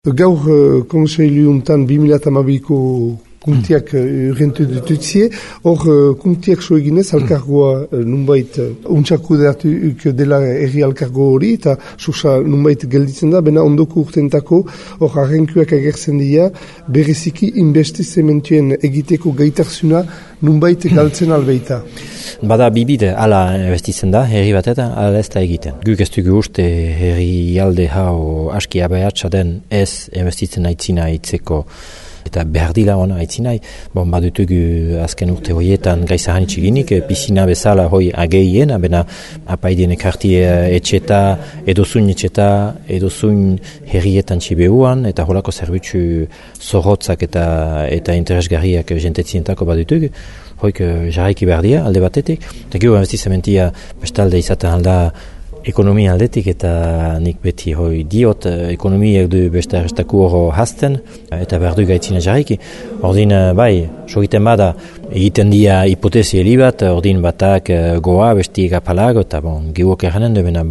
Gaur konseiluuntan 2012ko kuntiak urgentu ditutzie, hor kuntiak so eginez alkargoa nunbait untxakudeatuk dela erri alkargo hori, eta sosa nunbait gelditzen da, bena ondoko urtentako hor arrenkuak agertzen dira, bereziki investizementuen egiteko gaitarzuna nunbait galtzen albeita. Bada bibide ala investitzen da, herri batetan, ala ez da egiten. Guk ez dugu uste herri alde hau aski abeatsa den ez investitzen aitzina itzeko eta behar dila ona aitzinai. Badutugu azken urte horietan gaiza hanitxiginik, pisina bezala hoi ageien, abena apaidien ekarti etxeta, edozuin etxeta, edozuin herrietan txibeuan, eta holako zerbitzu zorrotzak eta interesgarriak jentetzientako badutugu. Hoik jarraiki behar dira, alde batetik. Eta gero investizementia bestalde izaten alda ekonomia aldetik, eta nik beti diot ekonomiak du beste arrestaku horo hazten, eta behar du gaitzina jarraiki. Ordin, sogiten bada, egiten dira hipotezi heli bat, ordin batak goa, bestiek apalago, eta gehuok erranen dubena,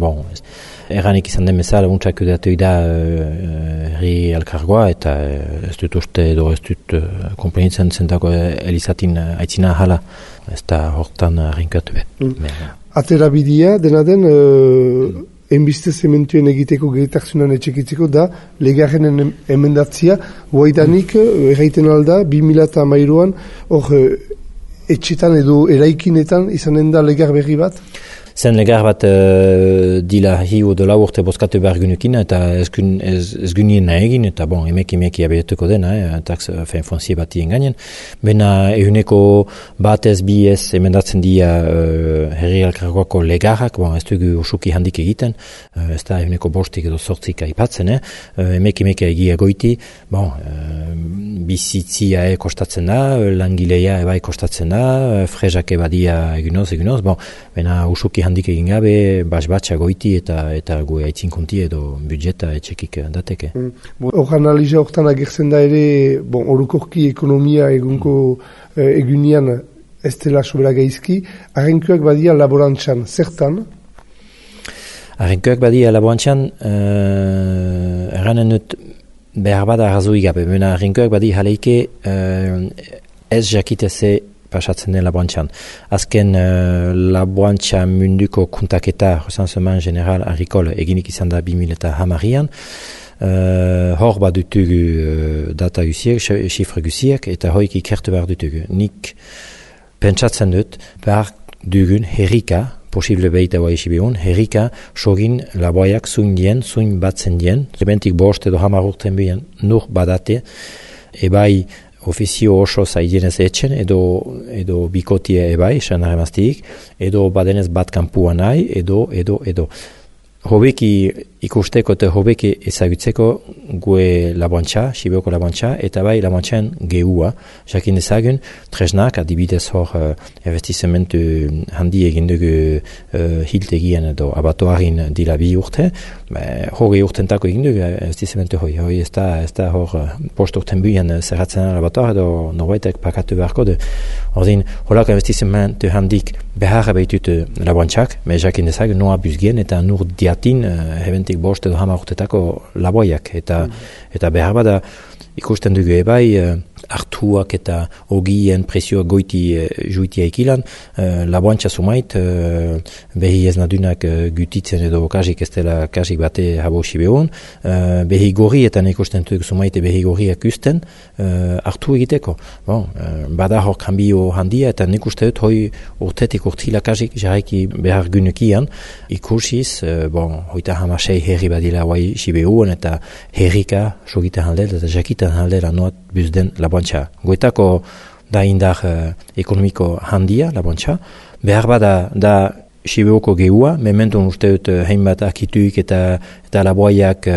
erranik izan den bezala, untsak udatu da herri alkargoa, eta ez dut uste edo ez dut komplenitzen zentako elizatin aitzina hala, ez da hortan rinkatu bet. Atera bidia, dena den, enbistezementuen egiteko gehitazunan etxekitzeko da, legarren emendatzia, guaidanik, erraiten alda, 2013an, hor etxetan edo eraikinetan izanen da legar berri bat? Zen legar bat dila hiu dola urte bozkatu behar gynukin, eta ez gynien nahi egin, eta emeki abetuko dena, tax fonzie bat gainen. Bena ehuneko batez bi ez emendatzen dia herri alkargoako legarrak, ez dugu usuki handik egiten, ez da ehuneko bostik edo sortzik aipatzen, emeki egia goiti, bizitzia kostatzen da, langileia ebai kostatzen da, frezak ebadia egunoz, bena usuki handik egin gabe, batxa goiti eta gu aitzin konti edo budjeta etxekik dateke. Hor analiza hortan agertzen da ere, orokorki ekonomia egunko egunian ez dela sobera gaizki, arrenkuak badia laborantzan, zertan? Arrenkuak badia laborantzan, erranen dut behar bada arrazoi gabe, bena arrenkuak badia jaleike ez jakiteze pasatzen den laborantzan. Azken laborantza munduko kuntaketa, recensement general agricole, eginik izan da 2010an, hor badutugu data guziek, xifre guziek, eta hoik ikertu behar dutugu. Nik pentsatzen dut, behar dugun herrika, posible behita hoa isibihun, herrika sogin laboaiak zuin dien, zuin batzen dien, rebentik bost edo 10 urten bian nur badate, ebai ofizio oso zaidenez etxen, edo bikotia ebai, esan arremaztiik, edo badenez bat kanpua nahi, edo. Hobeki ikusteko eta hobeki ezagutzeko gue laboantza, Sibioko laboantza, eta bai laboantzan gehua. Jakin dezagun, tresnak, adibidez hor investizementu handi egin dugu hiltegian edo abatoarin dila 2 urte, hori urtentako egin dugu investizementu hori ez da hor post urten buian zerratzen abatoar edo norbaitek pakatu beharko du. Ordin, horako investizementu handik beharra behitut laboantzak, jakin dezagun noa buzgien eta nur diatin ebentik bost edo 10 urtetako laboiak, eta behar bada ikusten dugu ebai hartuak eta ogien presioak goiti juitia ekilan, laboantza sumait behi ez nadunak gutitzen edo kasik ez dela kasik bate habo sibehun, behi gorrietan ikusten dugu sumait behi gorriak usten hartu egiteko. Bada hor kanbio handia, eta nik uste dut hoi urtetik urtila kasik jarraiki behar gynukian ikusiz, hoita 16 herri badila guai sibehun, eta herrika sogiten haldela eta jakiten haldela noat buzden laboantza. Goetako da indar ekonomiko handia laboantza. Behar bada da Sibioko gehua, mementun uste dut hainbat akituik eta laboaiak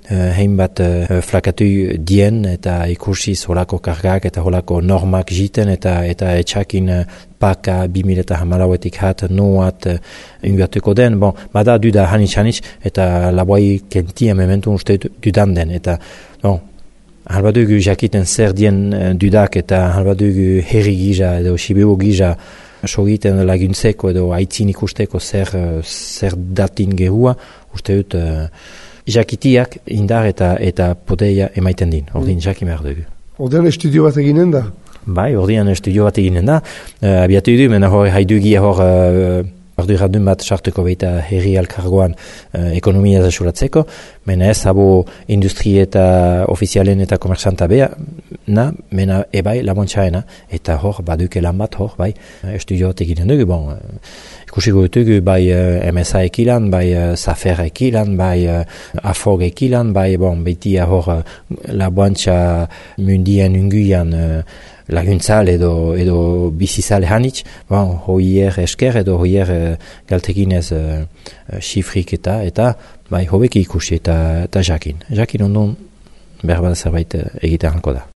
hainbat flakatu dien, eta ikusiz holako kargak eta holako normak jiten, eta etxakin paka 2014etik hat noat inbertuko den. Bada duda hanitz, eta laboai kentia mementun uste dut dudan den, eta halbadugu jakiten zer dien dudak, eta halbadugu herri gisa edo Sibio gisa sogiten laguntzeko edo aitzin ikusteko zer datin gehua, uste dut jakitiak indar eta podeia emaiten din, ordin jakin behar dugu. Ordean estudio bat eginen da? Bai, ordean estudio bat eginen da, abiatu du, mena hor haidugia arduradun bat sartuko baita herri alkargoan ekonomia zasuratzeko, mena ez habo industri eta ofizialen eta komersanta beha, mena ebai labontxaena, eta hor baduke lan bat hor, bai, estudio bat eginen dugu, bon, ikusiko dutugu bai MSA ekilan, bai Safer ekilan, bai Afog ekilan, bai bon, beitia hor labontxa mundien unguian laguntzal edo bizizale hanitz, bon, hoier esker edo hoier galteginez xifrik eta bai hobeki ikusi eta jakin. Jakin ondon berbada zerbait egiten hanko da.